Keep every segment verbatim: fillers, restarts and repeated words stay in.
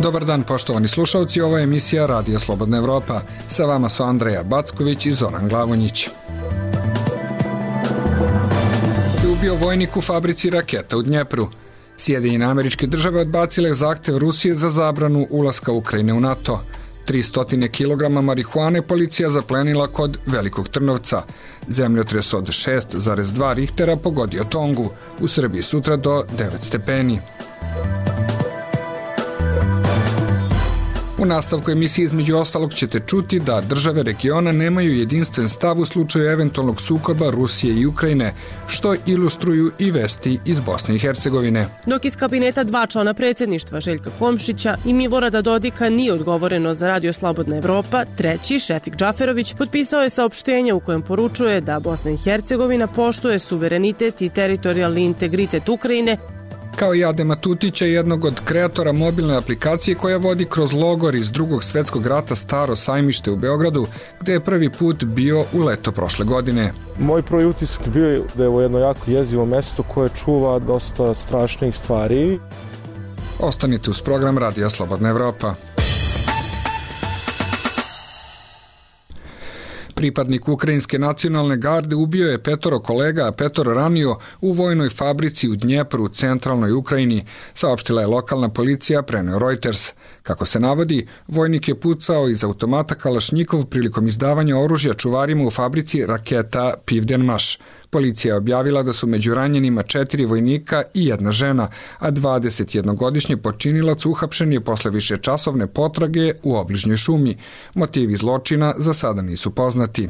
Dobar dan, poštovani slušalci, ovo je emisija Radio Slobodna Evropa. Sa vama su Andreja Backović i Zoran Glavonjić. Ubio vojnik u fabrici raketa u Dnjepru. Sjedinjene Američke Države odbacile zahtev Rusije za zabranu ulaska Ukrajine u NATO. tristo kilograma marihuane policija zaplenila kod Velikog Trnovca. Zemljotres od šest zarez dva Richtera pogodio Tongu. U Srbiji sutra do devet stepeni. U nastavku emisije između ostalog ćete čuti da države regiona nemaju jedinstven stav u slučaju eventualnog sukoba Rusije i Ukrajine, što ilustruju i vesti iz Bosne i Hercegovine. Dok iz kabineta dva člana predsjedništva Željka Komšića i Milorada Dodika nije odgovoreno za Radio Slobodna Evropa, treći, Šefik Džaferović, potpisao je saopštenje u kojem poručuje da Bosna i Hercegovina poštuje suverenitet i teritorijalni integritet Ukrajine, kao i Adema Tutića, jednog od kreatora mobilne aplikacije koja vodi kroz logor iz Drugog svjetskog rata Staro sajmište u Beogradu, gde je prvi put bio u leto prošle godine. Moj prvi utisak bio je da je ovo jedno jako jezivo mesto koje čuva dosta strašnih stvari. Ostanite uz program Radija Slobodna Evropa. Pripadnik Ukrajinske nacionalne garde ubio je petoro kolega, a petoro ranio u vojnoj fabrici u Dnjepru u centralnoj Ukrajini, saopštila je lokalna policija, preneo Reuters. Kako se navodi, vojnik je pucao iz automata Kalašnjikov prilikom izdavanja oružja čuvarima u fabrici raketa Pivdenmaš. Policija je objavila da su među ranjenima četiri vojnika i jedna žena, a dvadesetjednogodišnji počinilac uhapšen je posle višečasovne potrage u obližnjoj šumi. Motivi zločina za sada nisu poznati.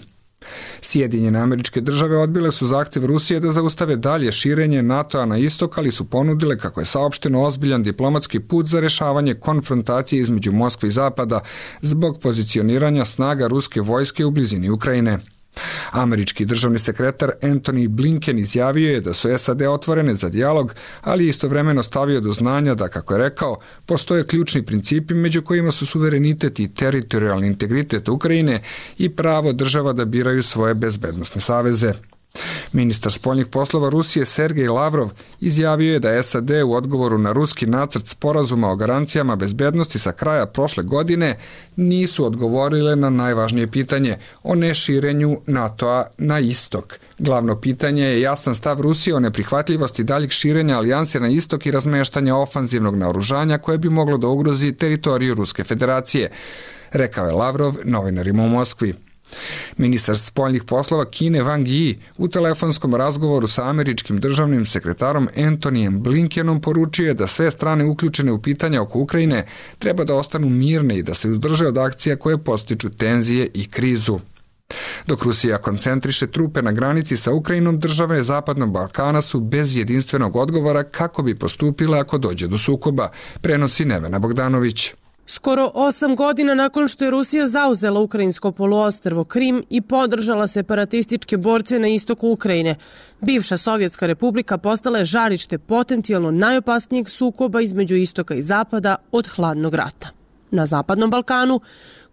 Sjedinjene Američke Države odbile su zahtev Rusije da zaustave dalje širenje NATO-a na istok, ali su ponudile, kako je saopšteno, ozbiljan diplomatski put za rešavanje konfrontacije između Moskve i Zapada zbog pozicioniranja snaga ruske vojske u blizini Ukrajine. Američki državni sekretar Antony Blinken izjavio je da su S A D otvorene za dijalog, ali istovremeno stavio do znanja da, kako je rekao, postoje ključni principi među kojima su suverenitet i teritorijalni integritet Ukrajine i pravo država da biraju svoje bezbednosne saveze. Ministar spoljnih poslova Rusije Sergej Lavrov izjavio je da S A D u odgovoru na ruski nacrt sporazuma o garancijama bezbednosti sa kraja prošle godine nisu odgovorile na najvažnije pitanje o neširenju NATO-a na istok. Glavno pitanje je jasan stav Rusije o neprihvatljivosti daljeg širenja alijanse na istok i razmeštanja ofanzivnog naoružanja koje bi moglo da ugrozi teritoriju Ruske federacije, rekao je Lavrov novinarima u Moskvi. Ministar spoljnih poslova Kine Wang Yi u telefonskom razgovoru sa američkim državnim sekretarom Antonyjem Blinkenom poručio je da sve strane uključene u pitanja oko Ukrajine treba da ostanu mirne i da se uzdrže od akcija koje podstiču tenzije i krizu. Dok Rusija koncentriše trupe na granici sa Ukrajinom, države Zapadnog Balkana su bez jedinstvenog odgovora kako bi postupile ako dođe do sukoba, prenosi Nevena Bogdanović. Skoro osam godina nakon što je Rusija zauzela ukrajinsko poluostrvo Krim i podržala separatističke borce na istoku Ukrajine, bivša Sovjetska republika postala je žarište potencijalno najopasnijeg sukoba između istoka i zapada od hladnog rata. Na Zapadnom Balkanu,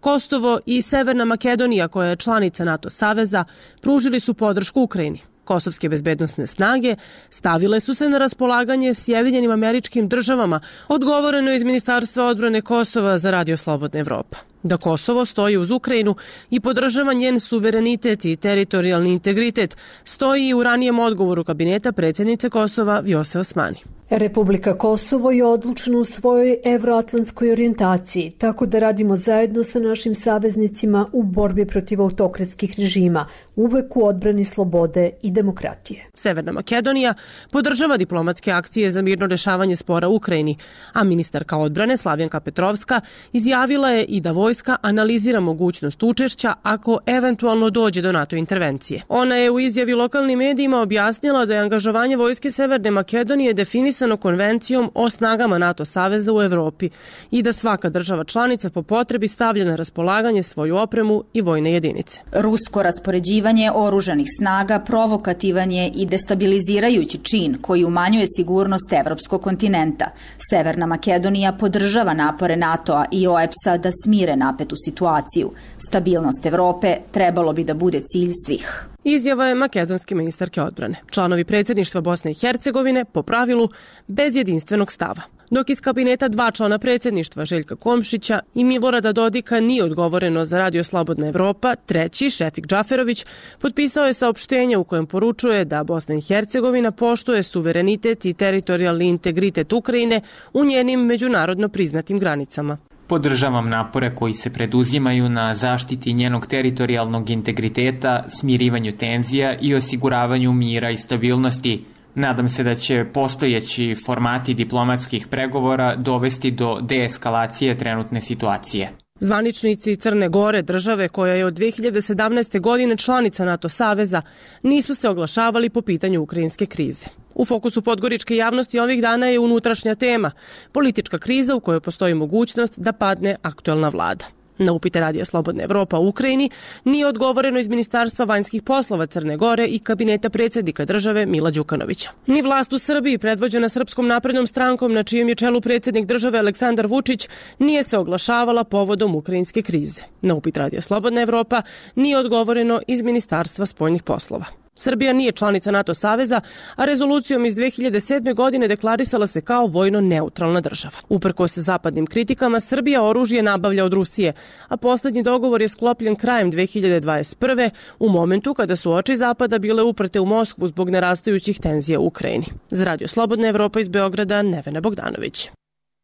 Kosovo i Severna Makedonija, koja je članica NATO saveza, pružili su podršku Ukrajini. Kosovske bezbednosne snage stavile su se na raspolaganje Sjedinjenim Američkim Državama, odgovoreno iz Ministarstva odbrane Kosova za Radio Slobodna Evropa. Da Kosovo stoji uz Ukrajinu i podržava njen suverenitet i teritorijalni integritet, stoji i u ranijem odgovoru kabineta predsjednice Kosova Vjose Osmani. Republika Kosovo je odlučna u svojoj evroatlantskoj orijentaciji, tako da radimo zajedno sa našim saveznicima u borbi protiv autokratskih režima, uvek u odbrani slobode i demokratije. Severna Makedonija podržava diplomatske akcije za mirno rešavanje spora u Ukrajini, a ministarka odbrane Slavjanka Petrovska izjavila je i da vojska analizira mogućnost učešća ako eventualno dođe do NATO intervencije. Ona je u izjavi lokalnim medijima objasnila da je angažovanje vojske Severne Makedonije definisano konvencijom o snagama NATO saveza u Evropi i da svaka država članica po potrebi stavlja na raspolaganje svoju opremu i vojne jedinice. Rusko raspoređivanje oružanih snaga provokativan je i destabilizirajući čin koji umanjuje sigurnost evropskog kontinenta. Severna Makedonija podržava napore NATO-a i O E P S-a da smire napetu situaciju. Stabilnost Evrope trebalo bi da bude cilj svih. Izjava je makedonske ministarke odbrane. Članovi predsjedništva Bosne i Hercegovine, po pravilu, bez jedinstvenog stava. Dok iz kabineta dva člana predsjedništva Željka Komšića i Milorada Dodika nije odgovoreno za Radio Slobodna Evropa, treći, Šefik Džaferović, potpisao je saopštenje u kojem poručuje da Bosna i Hercegovina poštuje suverenitet i teritorijalni integritet Ukrajine u njenim međunarodno priznatim granicama. Podržavam napore koji se preduzimaju na zaštiti njenog teritorijalnog integriteta, smirivanju tenzija i osiguravanju mira i stabilnosti. Nadam se da će postojeći formati diplomatskih pregovora dovesti do deeskalacije trenutne situacije. Zvaničnici Crne Gore, države koja je od dve hiljade sedamnaeste. godine članica NATO saveza, nisu se oglašavali po pitanju ukrajinske krize. U fokusu podgoričke javnosti ovih dana je unutrašnja tema, politička kriza u kojoj postoji mogućnost da padne aktuelna vlada. Na upite Radija Slobodna Evropa u Ukrajini nije odgovoreno iz Ministarstva vanjskih poslova Crne Gore i kabineta predsjednika države Mila Đukanovića. Ni vlast u Srbiji, predvođena Srpskom naprednom strankom na čijem je čelu predsjednik države Aleksandar Vučić, nije se oglašavala povodom ukrajinske krize. Na upit Radija Slobodna Evropa nije odgovoreno iz Ministarstva spoljnih poslova. Srbija nije članica NATO saveza, a rezolucijom iz dve hiljade sedme. godine deklarisala se kao vojno neutralna država. Uprkos zapadnim kritikama, Srbija oružje nabavlja od Rusije, a posljednji dogovor je sklopljen krajem dve hiljade dvadeset prve. u momentu kada su oči Zapada bile uprte u Moskvu zbog narastajućih tenzija u Ukrajini. Za Radio Slobodna Evropa iz Beograda, Nevena Bogdanović.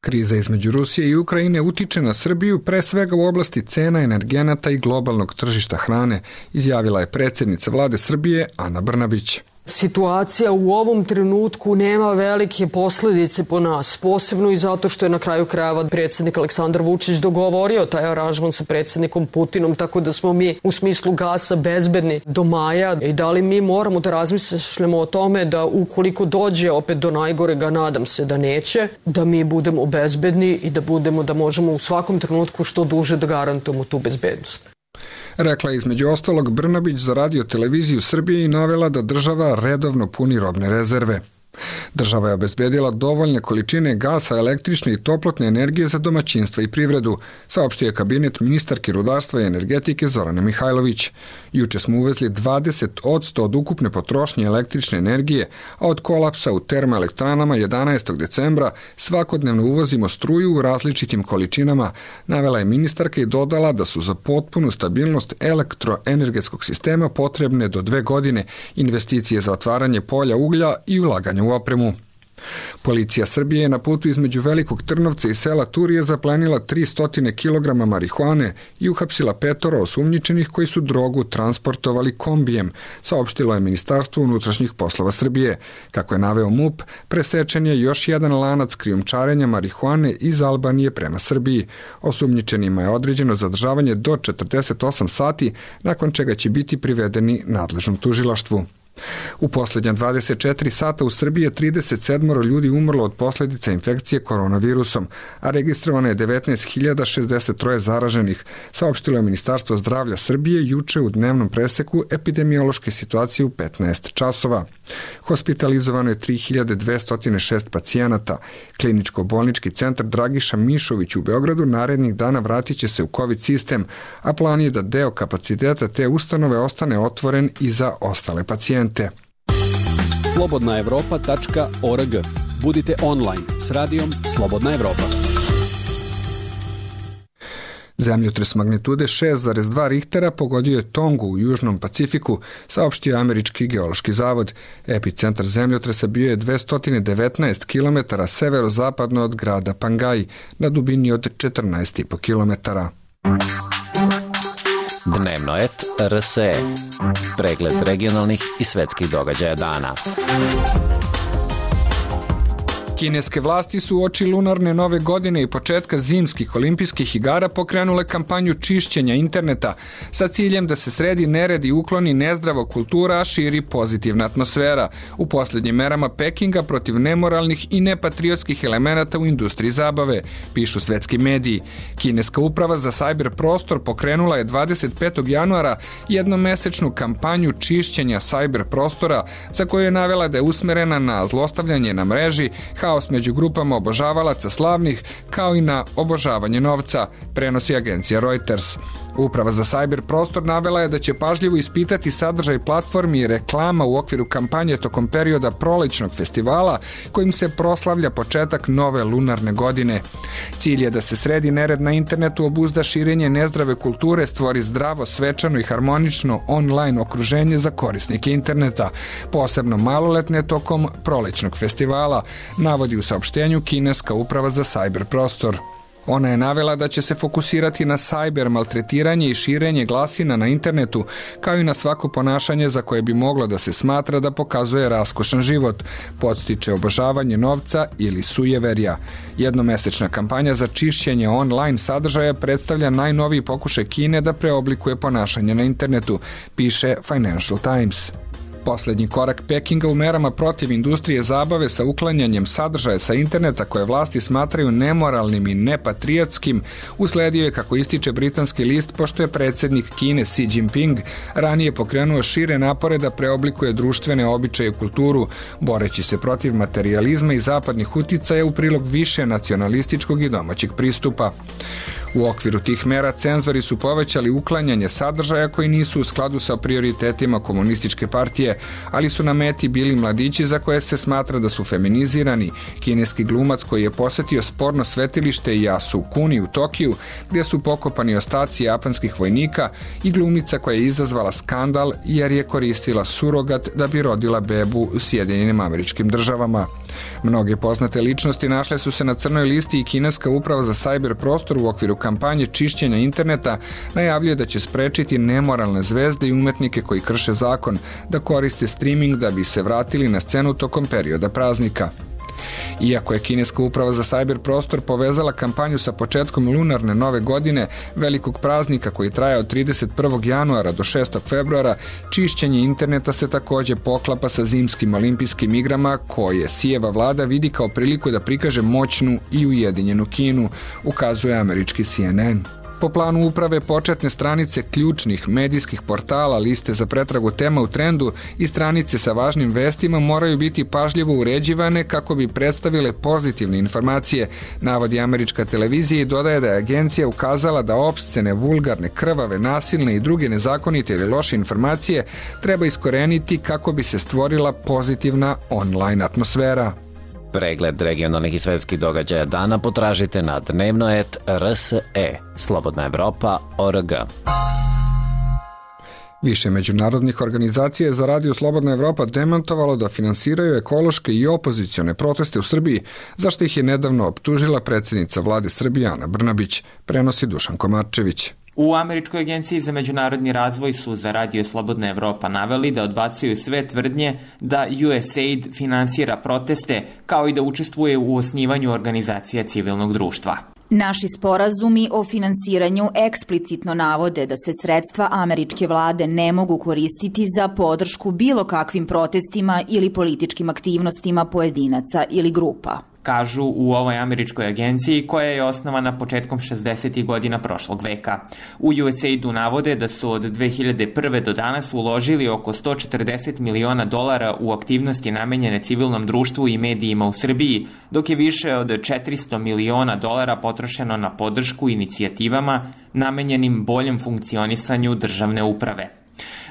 Kriza između Rusije i Ukrajine utiče na Srbiju pre svega u oblasti cena energenata i globalnog tržišta hrane, izjavila je predsjednica vlade Srbije Ana Brnabić. Situacija u ovom trenutku nema velike posljedice po nas, posebno i zato što je na kraju krajeva predsjednik Aleksandar Vučić dogovorio taj aranžman sa predsjednikom Putinom, tako da smo mi u smislu gasa bezbedni do maja i da li mi moramo da razmišljamo o tome da ukoliko dođe opet do najgorega, nadam se da neće, da mi budemo bezbedni i da budemo da možemo u svakom trenutku što duže da garantujemo tu bezbednost. Rekla je između ostalog Brnabić za Radio televiziju Srbije i navela da država redovno puni robne rezerve. Država je obezbedila dovoljne količine gasa, električne i toplotne energije za domaćinstva i privredu, saopštio je kabinet ministarke rudarstva i energetike Zorane Mihajlović. Juče smo uvezli dvadeset posto od ukupne potrošnje električne energije, a od kolapsa u termoelektranama jedanaestog decembra svakodnevno uvozimo struju u različitim količinama, navela je ministarka i dodala da su za potpunu stabilnost elektroenergetskog sistema potrebne do dve godine investicije za otvaranje polja uglja i ulaganje u opremu. Policija Srbije je na putu između Velikog Trnovca i sela Turije zaplenila tristo kilograma marihuane i uhapsila petoro osumnjičenih koji su drogu transportovali kombijem, saopštilo je Ministarstvo unutrašnjih poslova Srbije. Kako je naveo MUP, presečen je još jedan lanac krijumčarenja marihuane iz Albanije prema Srbiji. Osumnjičenima je određeno zadržavanje do četrdeset osam sati, nakon čega će biti privedeni nadležnom tužilaštvu. U posljednja dvadeset četiri sata u Srbiji je trideset sedam ljudi umrlo od posljedica infekcije koronavirusom, a registrovano je devetnaest hiljada šezdeset tri zaraženih, saopštilo je Ministarstvo zdravlja Srbije juče u dnevnom preseku epidemiološke situacije u petnaest časova. Hospitalizovano je tri hiljade dvesta šest pacijenata. Kliničko-bolnički centar Dragiša Mišović u Beogradu narednih dana vratit će se u COVID sistem, a plan je da deo kapaciteta te ustanove ostane otvoren i za ostale pacijente. slobodna evropa tačka org. Budite online s radijom Slobodna Evropa. Zemljotres magnitude šest zarez dva Richtera pogodio je Tongu u Južnom Pacifiku, saopštio Američki geološki zavod. Epicentar zemljotresa bio je dvesta devetnaest kilometara severozapadno od grada Pangaji, na dubini od četrnaest i po kilometara. Dnevno et R S E. Pregled regionalnih i svetskih događaja dana. Kineske vlasti su uoči lunarne nove godine i početka zimskih olimpijskih igara pokrenule kampanju čišćenja interneta sa ciljem da se sredi nered i ukloni nezdrava kultura, a širi pozitivna atmosfera u posljednjim merama Pekinga protiv nemoralnih i nepatriotskih elemenata u industriji zabave, pišu svetski mediji. Kineska uprava za sajber prostor pokrenula je dvadeset petog januara jednomesečnu kampanju čišćenja sajber prostora, za koju je navela da je usmerena na zlostavljanje na mreži, haos haos među grupama obožavalaca slavnih, kao i na obožavanje novca, prenosi agencija Reuters. Uprava za sajber prostor navela je da će pažljivo ispitati sadržaj platformi i reklama u okviru kampanje tokom perioda prolećnog festivala kojim se proslavlja početak nove lunarne godine. Cilj je da se sredi nered na internetu, obuzda širenje nezdrave kulture, stvori zdravo, svečano i harmonično online okruženje za korisnike interneta, posebno maloletne tokom prolećnog festivala, navodi u saopštenju kineska uprava za sajber prostor. Ona je navela da će se fokusirati na sajber maltretiranje i širenje glasina na internetu, kao i na svako ponašanje za koje bi moglo da se smatra da pokazuje raskošan život, podstiče obožavanje novca ili sujeverja. Jednomesečna kampanja za čišćenje online sadržaja predstavlja najnoviji pokušaj Kine da preoblikuje ponašanje na internetu, piše Financial Times. Poslednji korak Pekinga u merama protiv industrije zabave sa uklanjanjem sadržaja sa interneta koje vlasti smatraju nemoralnim i nepatriotskim usledio je, kako ističe britanski list, pošto je predsjednik Kine Xi Jinping ranije pokrenuo šire napore da preoblikuje društvene običaje i kulturu, boreći se protiv materijalizma i zapadnih uticaja u prilog više nacionalističkog i domaćeg pristupa. U okviru tih mera cenzori su povećali uklanjanje sadržaja koji nisu u skladu sa prioritetima komunističke partije, ali su na meti bili mladići za koje se smatra da su feminizirani, kineski glumac koji je posetio sporno svetilište Yasukuni u Tokiju, gdje su pokopani ostaci japanskih vojnika, i glumica koja je izazvala skandal jer je koristila surogat da bi rodila bebu u Sjedinjenim Američkim Državama. Mnoge poznate ličnosti našle su se na crnoj listi i kineska uprava za sajber prostor u okviru kampanje čišćenja interneta najavljuje da će sprečiti nemoralne zvezde i umetnike koji krše zakon da koriste streaming da bi se vratili na scenu tokom perioda praznika. Iako je kineska uprava za sajber prostor povezala kampanju sa početkom lunarne nove godine, velikog praznika koji traje od trideset prvog januara do šestog februara, čišćenje interneta se takođe poklapa sa zimskim olimpijskim igrama koje Sijeva vlada vidi kao priliku da prikaže moćnu i ujedinjenu Kinu, ukazuje američki C N N. Po planu uprave, početne stranice ključnih medijskih portala, liste za pretragu tema u trendu i stranice sa važnim vestima moraju biti pažljivo uređivane kako bi predstavile pozitivne informacije, navodi američka televizija i dodaje da je agencija ukazala da opscene, vulgarne, krvave, nasilne i druge nezakonite ili loše informacije treba iskoreniti kako bi se stvorila pozitivna online atmosfera. Pregled regionalnih i svetskih događaja dana potražite na dnevno et r s e, slobodna evropa tačka org. Više međunarodnih organizacija je za Radio Slobodna Evropa demantovalo da finansiraju ekološke i opozicione proteste u Srbiji, zašto ih je nedavno optužila predsjednica vlade Srbije Ana Brnabić, prenosi Dušan Komarčević. U Američkoj agenciji za međunarodni razvoj su za Radio Slobodna Evropa naveli da odbacuju sve tvrdnje da U S A I D finansira proteste, kao i da učestvuje u osnivanju organizacija civilnog društva. Naši sporazumi o finansiranju eksplicitno navode da se sredstva američke vlade ne mogu koristiti za podršku bilo kakvim protestima ili političkim aktivnostima pojedinaca ili grupa, kažu u ovoj američkoj agenciji koja je osnovana početkom šezdesetih godina prošlog veka. U U S A I D-u navode da su od dve hiljade prve do danas uložili oko sto četrdeset miliona dolara u aktivnosti namenjene civilnom društvu i medijima u Srbiji, dok je više od četiristo miliona dolara potrošeno na podršku inicijativama namenjenim boljem funkcionisanju državne uprave.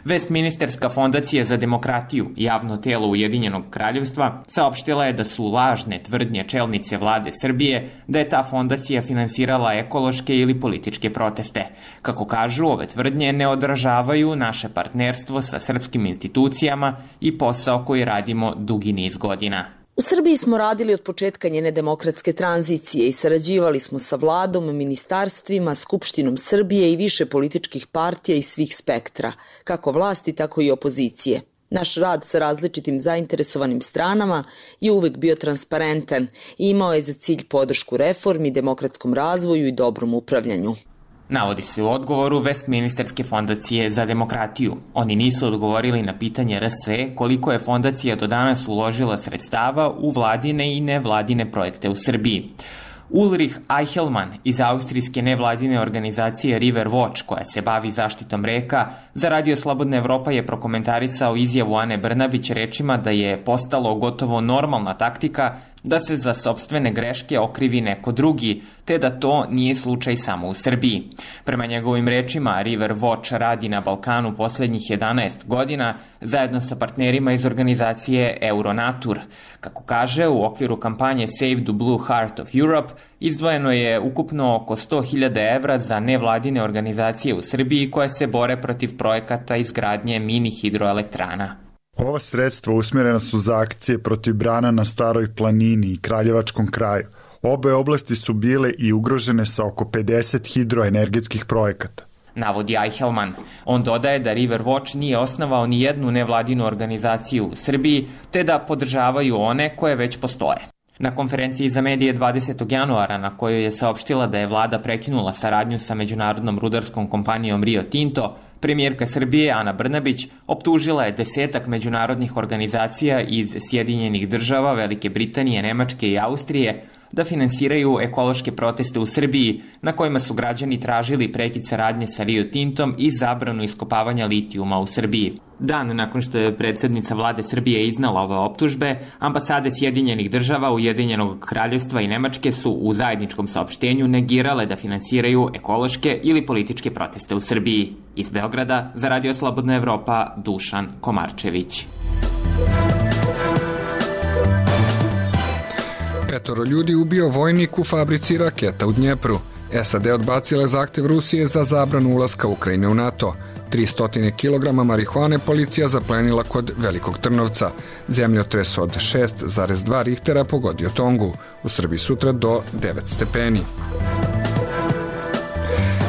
Westminsterska fondacija za demokratiju, javno telo Ujedinjenog kraljevstva, saopštila je da su lažne tvrdnje čelnice vlade Srbije da je ta fondacija finansirala ekološke ili političke proteste. Kako kažu, ove tvrdnje ne odražavaju naše partnerstvo sa srpskim institucijama i posao koji radimo dugi niz godina. U Srbiji smo radili od početka njene demokratske tranzicije i sarađivali smo sa vladom, ministarstvima, Skupštinom Srbije i više političkih partija i svih spektra, kako vlasti, tako i opozicije. Naš rad sa različitim zainteresovanim stranama je uvek bio transparentan i imao je za cilj podršku reformi, demokratskom razvoju i dobrom upravljanju. Navodi se u odgovoru Westminsterske fondacije za demokratiju. Oni nisu odgovorili na pitanje R S E koliko je fondacija do danas uložila sredstava u vladine i nevladine projekte u Srbiji. Ulrich Eichelmann iz austrijske nevladine organizacije River Watch, koja se bavi zaštitom reka, za Radio Slobodna Evropa je prokomentarisao izjavu Ane Brnabić rečima da je postalo gotovo normalna taktika da se za sopstvene greške okrivi neko drugi, te da to nije slučaj samo u Srbiji. Prema njegovim rečima, River Watch radi na Balkanu poslednjih jedanaest godina zajedno sa partnerima iz organizacije Euronatur. Kako kaže, u okviru kampanje Save the Blue Heart of Europe izdvojeno je ukupno oko sto hiljada evra za nevladine organizacije u Srbiji koje se bore protiv projekata izgradnje mini hidroelektrana. Ova sredstva usmjerena su za akcije protiv brana na Staroj planini i Kraljevačkom kraju. Obe oblasti su bile i ugrožene sa oko pedeset hidroenergetskih projekata, navodi Eichelmann. On dodaje da River Watch nije osnovao ni jednu nevladinu organizaciju u Srbiji, te da podržavaju one koje već postoje. Na konferenciji za medije dvadesetog januara, na kojoj je saopštila da je vlada prekinula saradnju sa međunarodnom rudarskom kompanijom Rio Tinto, premijerka Srbije Ana Brnabić optužila je desetak međunarodnih organizacija iz Sjedinjenih država, Velike Britanije, Nemačke i Austrije da finansiraju ekološke proteste u Srbiji, na kojima su građani tražili prekid saradnje sa Rio Tintom i zabranu iskopavanja litijuma u Srbiji. Dan nakon što je predsjednica vlade Srbije iznala ove optužbe, ambasade Sjedinjenih država, Ujedinjenog kraljevstva i Nemačke su u zajedničkom saopštenju negirale da finansiraju ekološke ili političke proteste u Srbiji. Iz Beograda za Radio Slobodna Evropa, Dušan Komarčević. Petoro ljudi ubio vojnik u fabrici raketa u Dnjepru. S A D odbacile zahtev Rusije za zabranu ulaska Ukrajine u NATO. tristo kilograma marihuane policija zaplenila kod Velikog Trnovca. Zemljotres od šest zarez dva Richtera pogodio Tongu. U Srbiji sutra do devet stepeni.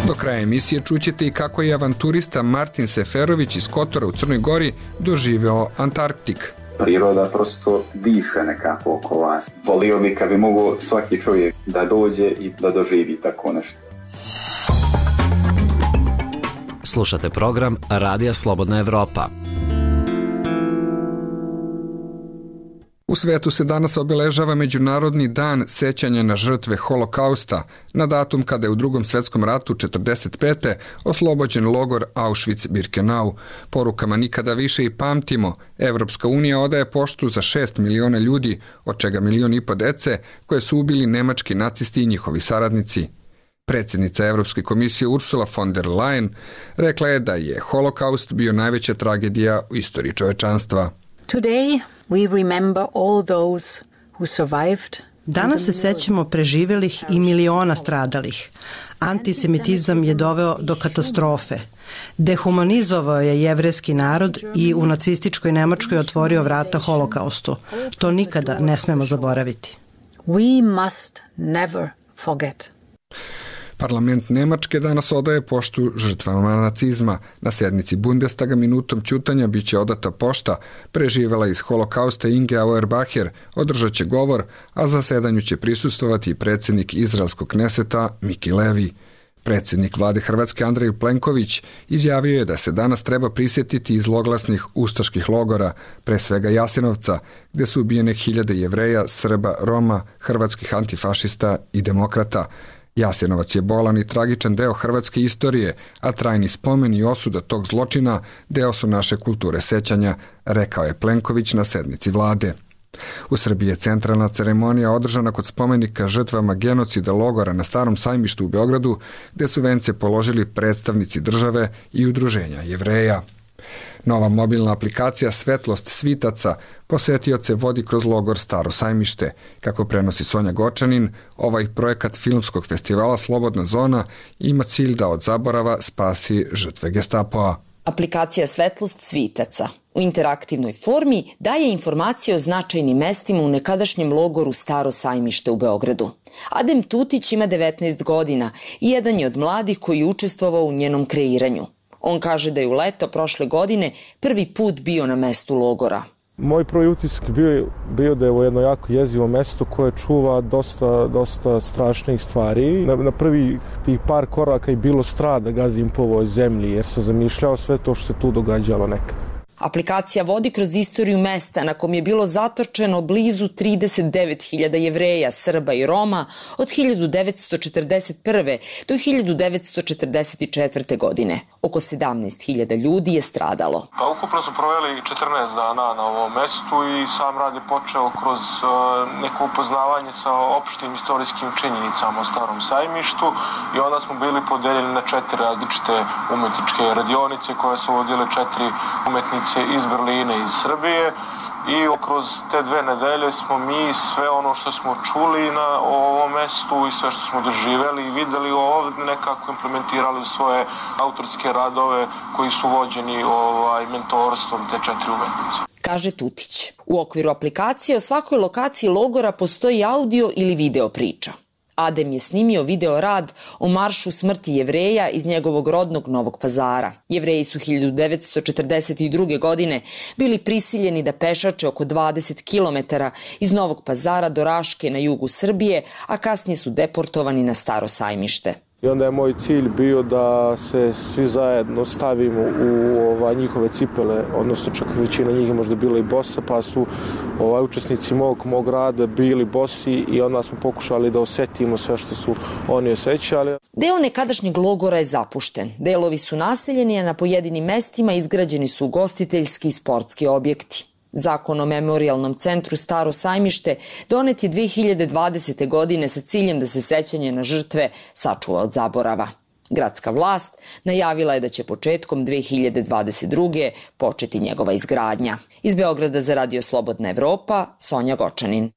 Do kraja emisije čućete i kako je avanturista Martin Seferović iz Kotora u Crnoj Gori doživeo Antarktik. Priroda prosto diše nekako oko vas. Volio bi kad bi mogo svaki čovjek da dođe i da doživi tako nešto. Slušate program Radija Slobodna Evropa. U svetu se danas obeležava Međunarodni dan sećanja na žrtve Holokausta, na datum kada je u Drugom svetskom ratu četrdeset pete oslobođen logor Auschwitz-Birkenau. Porukama nikada više i pamtimo, Evropska unija odaje poštu za šest miliona ljudi, od čega milion i po dece, koje su ubili nemački nacisti i njihovi saradnici. Predsjednica Evropske komisije Ursula von der Leyen rekla je da je Holokaust bio najveća tragedija u istoriji čovečanstva. Today we remember all those who survived. Danas se sećamo preživelih i miliona stradalih. Antisemitizam je doveo do katastrofe. Dehumanizovao je jevrejski narod i u nacističkoj Nemačkoj otvorio vrata Holokaustu. To nikada ne smemo zaboraviti. We must never forget. Parlament Nemačke danas odaje poštu žrtvama nacizma. Na sjednici Bundestaga minutom ćutanja biće odata pošta. Preživela iz Holokausta Inge Auerbacher održat će govor, a zasedanju će prisustovati i predsjednik izraelskog Kneseta Miki Levi. Predsjednik vlade Hrvatske Andrej Plenković izjavio je da se danas treba prisjetiti zloglasnih ustaških logora, pre svega Jasenovca, gde su ubijene hiljade Jevreja, Srba, Roma, hrvatskih antifašista i demokrata. Jasenovac je bolan i tragičan deo hrvatske istorije, a trajni spomen i osuda tog zločina deo su naše kulture sećanja, rekao je Plenković na sednici vlade. U Srbiji je centralna ceremonija održana kod spomenika žrtvama genocida logora na Starom sajmištu u Beogradu, gde su vence položili predstavnici države i udruženja Jevreja. Nova mobilna aplikacija Svetlost svitaca posetioce vodi kroz logor Staro sajmište. Kako prenosi Sonja Gočanin, ovaj projekat filmskog festivala Slobodna zona ima cilj da od zaborava spasi žrtve Gestapoa. Aplikacija Svetlost svitaca u interaktivnoj formi daje informacije o značajnim mestima u nekadašnjem logoru Staro sajmište u Beogradu. Adem Tutić ima devetnaest godina i jedan je od mladih koji je učestvovao u njenom kreiranju. On kaže da je u leto prošle godine prvi put bio na mestu logora. Moj prvi utisak bio, bio da je ovo jedno jako jezivo mesto koje čuva dosta, dosta strašnih stvari. Na, na prvi tih par koraka je bilo strah da gazim po ovoj zemlji jer sam zamišljao sve to što se tu događalo nekad. Aplikacija vodi kroz istoriju mesta na kom je bilo zatočeno blizu trideset devet hiljada Jevreja, Srba i Roma od hiljadu devetsto četrdeset prve. do hiljadu devetsto četrdeset četvrte. godine. Oko sedamnaest hiljada ljudi je stradalo. Pa ukupno smo proveli četrnaest dana na ovom mestu i sam rad je počeo kroz uh, neko upoznavanje sa opštim istorijskim činjenicama o Starom sajmištu i onda smo bili podeljeni na četiri različite umetničke radionice koje su vodile četiri umetnice iz Berlina i iz Srbije i kroz te dve nedelje smo mi sve ono što smo čuli na ovom mestu i sve što smo doživeli i videli ovdje nekako implementirali u svoje autorske radove koji su vođeni ovaj, mentorstvom te četiri umetnice. Kaže Tutić. U okviru aplikacije o svakoj lokaciji logora postoji audio ili video priča. Adem je snimio video rad o maršu smrti Jevreja iz njegovog rodnog Novog Pazara. Jevreji su hiljadu devetsto četrdeset druge. godine bili prisiljeni da pešače oko dvadeset kilometara iz Novog Pazara do Raške na jugu Srbije, a kasnije su deportovani na Staro sajmište. I onda je moj cilj bio da se svi zajedno stavimo u ova, njihove cipele, odnosno čak većina njih je možda bila i bosa, pa su ovaj, učesnici mog, mog rada bili bosi i onda smo pokušali da osetimo sve što su oni osjećali. Deo nekadašnjeg logora je zapušten. Delovi su naseljeni, a na pojedinim mestima izgrađeni su ugostiteljski i sportski objekti. Zakon o memorijalnom centru Staro sajmište donet je dve hiljade dvadesete. godine sa ciljem da se sećanje na žrtve sačuva od zaborava. Gradska vlast najavila je da će početkom dve hiljade dvadeset druge. početi njegova izgradnja. Iz Beograda za Radio Slobodna Evropa, Sonja Gočanin.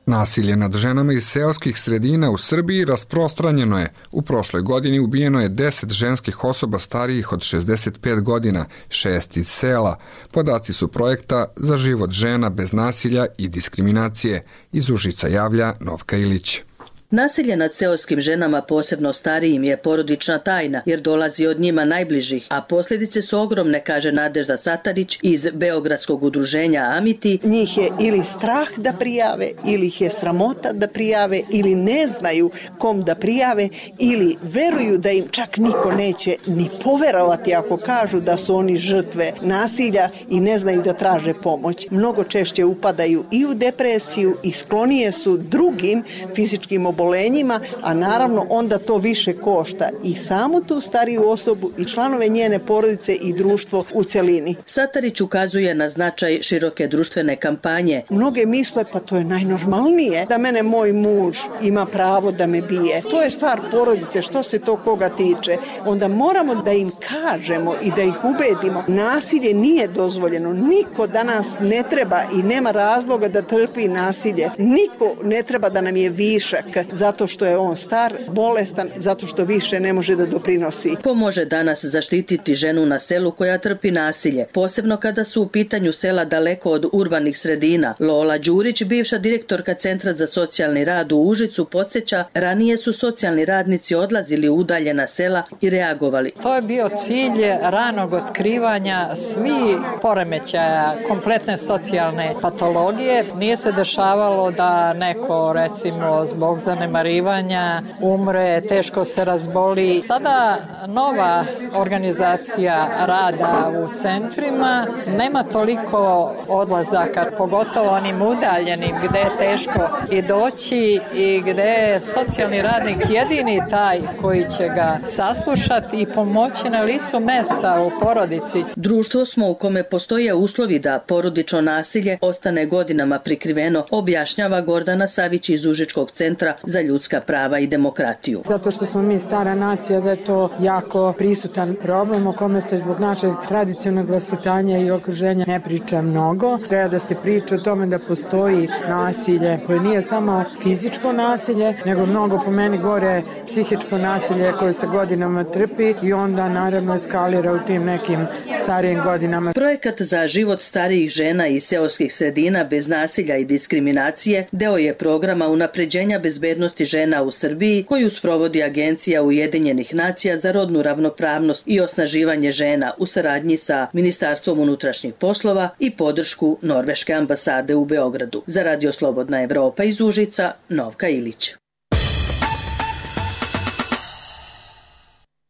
Nasilje nad ženama iz seoskih sredina u Srbiji rasprostranjeno je. U prošloj godini ubijeno je deset ženskih osoba starijih od šezdeset pet godina, šest iz sela. Podaci su projekta Za život žena bez nasilja i diskriminacije. Iz Užica javlja Novka Ilić. Nasilje nad seoskim ženama, posebno starijim, je porodična tajna jer dolazi od njima najbližih, a posljedice su ogromne, kaže Nadežda Satarić iz Beogradskog udruženja Amiti. Njih je ili strah da prijave, ili ih je sramota da prijave, ili ne znaju kom da prijave, ili veruju da im čak niko neće ni poverovati ako kažu da su oni žrtve nasilja i ne znaju da traže pomoć. Mnogo češće upadaju i u depresiju i sklonije su drugim fizičkim obolenjima, a naravno onda to više košta i samu tu stariju osobu i članove njene porodice i društvo u celini. Satarić ukazuje na značaj široke društvene kampanje. Mnoge misle pa to je najnormalnije da mene moj muž ima pravo da me bije. To je stvar porodice, što se to koga tiče. Onda moramo da im kažemo i da ih ubedimo. Nasilje nije dozvoljeno. Niko danas ne treba i nema razloga da trpi nasilje. Niko ne treba da nam je višak zato što je on star, bolestan, zato što više ne može da doprinosi. Ko može danas zaštititi ženu na selu koja trpi nasilje, posebno kada su u pitanju sela daleko od urbanih sredina? Lola Đurić, bivša direktorka Centra za socijalni rad u Užicu, podsjeća, ranije su socijalni radnici odlazili u udaljena sela i reagovali. To je bio cilj ranog otkrivanja svi poremećaja, kompletne socijalne patologije. Nije se dešavalo da neko, recimo, zbog zanemarivanja umre, teško se razboli. Sada nova organizacija rada u centrima nema toliko odlazaka, pogotovo onim udaljenim gde je teško i doći i gde je socijalni radnik jedini taj koji će ga saslušati i pomoći na licu mesta u porodici. Društvo smo u kome postoje uslovi da porodično nasilje ostane godinama prikriveno, objašnjava Gordana Savić iz Užičkog centra za ljudska prava i demokratiju. Zato što smo mi stara nacija, da je to jako prisutan problem o kome se zbog našeg tradicionalnog vaspitanja i okruženja ne priča mnogo. Treba da se priča o tome da postoji nasilje koje nije samo fizičko nasilje, nego mnogo po meni gore psihičko nasilje koje se godinama trpi i onda naravno eskalira u tim nekim starijim godinama. Projekat Za život starijih žena i seoskih sredina bez nasilja i diskriminacije deo je programa unapređenja bezbednosti žena u Srbiji koju sprovodi Agencija Ujedinjenih nacija za rodnu ravnopravnost i osnaživanje žena u saradnji sa Ministarstvom unutrašnjih poslova i podršku Norveške ambasade u Beogradu. Za Radio Slobodna Evropa iz Užica, Novka Ilić.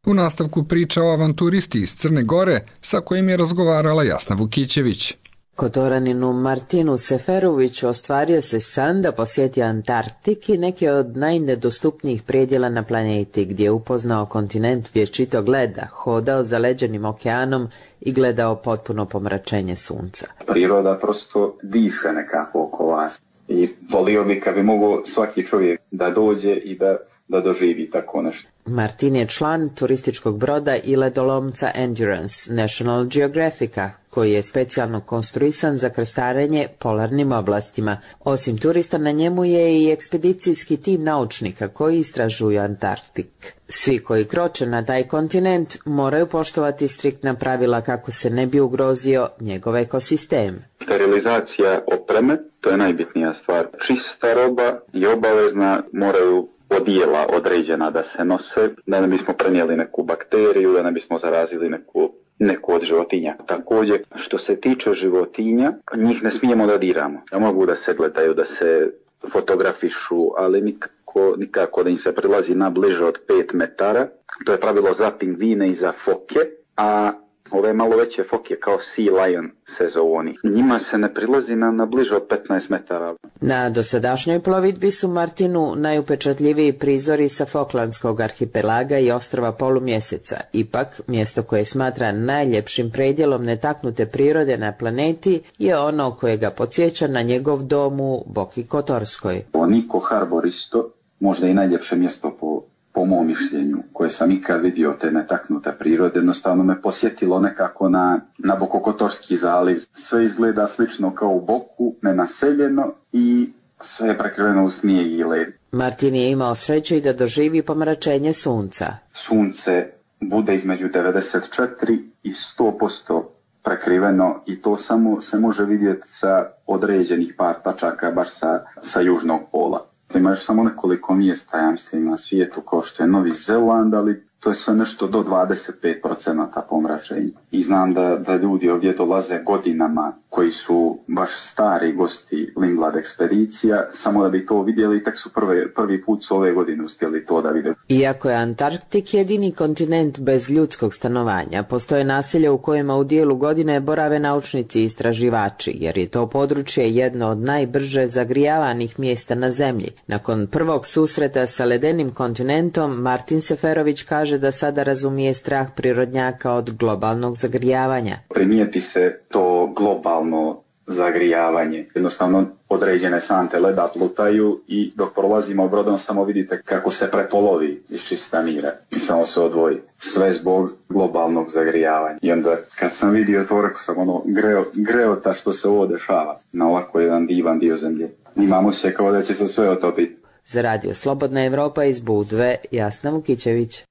U nastavku priča o avanturisti iz Crne Gore sa kojim je razgovarala Jasna Vukićević. Kotoraninu Martinu Seferoviću ostvario se san da posjeti Antarktik i neke od najnedostupnijih predjela na planeti, gdje je upoznao kontinent vječitog leda, hodao zaleđenim okeanom i gledao potpuno pomračenje sunca. Priroda prosto diše nekako oko vas i volio bi kad bi mogo svaki čovjek da dođe i da, da doživi tako nešto. Martin je član turističkog broda i ledolomca Endurance National Geographica, koji je specijalno konstruisan za krstarenje polarnim oblastima. Osim turista, na njemu je i ekspedicijski tim naučnika koji istražuju Antarktik. Svi koji kroče na taj kontinent moraju poštovati striktna pravila kako se ne bi ugrozio njegov ekosistem. Sterilizacija opreme, to je najbitnija stvar. Čista roba i obavezna, moraju odijela određena da se nose, da ne bismo prenijeli neku bakteriju, da ne bismo zarazili neku, neku od životinja. Također, što se tiče životinja, njih ne smijemo da diramo. Ja mogu da se gledaju, da se fotografišu, ali nikako, nikako da im se prilazi na bliže od pet metara. To je pravilo za pingvine i za foke, a ove malo veće foke kao Sea Lion se zovu oni. Njima se ne prilazi na, na bliže od petnaest metara. Na dosadašnjoj plovidbi su Martinu najupečatljiviji prizori sa Falklandskog arhipelaga i ostrva polumjeseca. Ipak, mjesto koje smatra najljepšim predjelom netaknute prirode na planeti je ono koje ga podsjeća na njegov dom u Boki Kotorskoj. Niko Harbor isto, možda i najljepše mjesto po po mom mišljenju, koje sam ikad vidio te netaknute prirode, jednostavno me posjetilo nekako na, na Bokokotorski zaliv. Sve izgleda slično kao u Boku, nenaseljeno i sve je prekriveno u snijeg i led. Martin je imao sreće i da doživi pomračenje sunca. Sunce bude između devedeset četiri i sto posto prekriveno i to samo se može vidjeti sa određenih par tačaka, baš sa, sa južnog pola. Ima još samo nekoliko mjesta, ja mislim, na svijetu kao što je Novi Zeland, ali to je sve nešto do dvadeset pet posto pomračenja. I znam da, da ljudi ovdje dolaze godinama koji su baš stari gosti Lindblad ekspedicija, samo da bi to vidjeli, tek su prve, prvi put su ove godine uspjeli to da vide. Iako je Antarktik jedini kontinent bez ljudskog stanovanja, postoje naselja u kojima u dijelu godine borave naučnici i istraživači, jer je to područje jedno od najbrže zagrijavanih mjesta na zemlji. Nakon prvog susreta sa ledenim kontinentom, Martin Seferović kaže da sada razumije strah prirodnjaka od globalnog zagrijavanja. Primijeti se to globalno zagrijavanje. Jednostavno određene sante leda plutaju i dok prolazimo brodom samo vidite kako se prepolovi iz čista mira i samo se odvoji. Sve zbog globalnog zagrijavanja. I onda kad sam vidio to, rekao sam ono greo, greota što se ovo dešava na ovako jedan divan dio zemlje. Imamo se kao da će se sve otopiti. Za radio Slobodna Evropa iz Budve, Jasna Vukićević.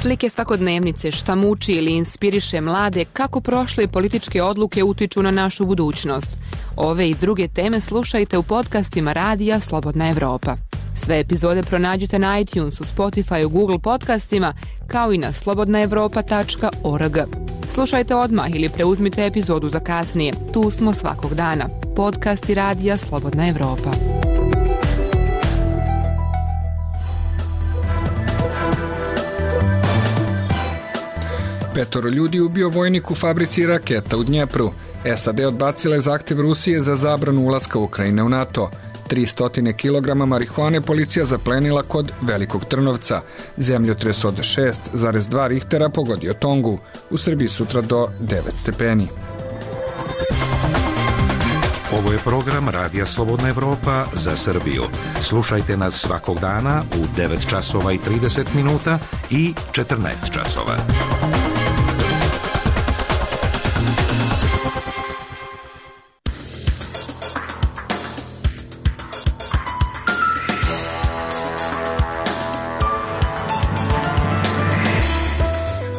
Slike svakodnevnice, šta muči ili inspiriše mlade, kako prošle političke odluke utiču na našu budućnost. Ove i druge teme slušajte u podcastima radija Slobodna Evropa. Sve epizode pronađite na iTunesu, Spotifyu, Google podcastima, kao i na slobodna evropa tačka org. Slušajte odmah ili preuzmite epizodu za kasnije. Tu smo svakog dana. Podcasti radija Slobodna Evropa. Petoro ljudi ubio vojnik u fabrici raketa u Dnjepru. S A D odbacile zahtjev Rusije za zabranu ulaska Ukrajine u NATO. tristo kilograma marihuane policija zaplenila kod Velikog Trnovca. Zemljotres od šest zarez dva Richtera pogodio Tongu. U Srbiji sutra do devet stepeni. Ovo je program Radija Slobodna Evropa za Srbiju. Slušajte nas svakog dana u devet časova i trideset minuta i četrnaest časova.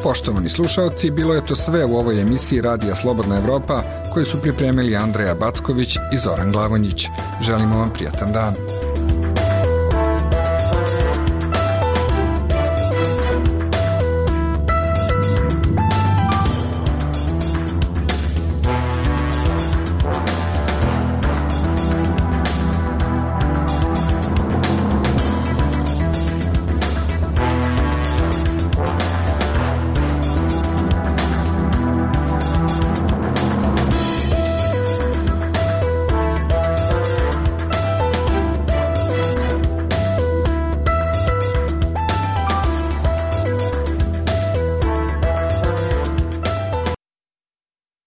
Poštovani slušalci, bilo je to sve u ovoj emisiji Radija Slobodna Evropa koju su pripremili Andreja Backović i Zoran Glavonjić. Želimo vam prijatan dan.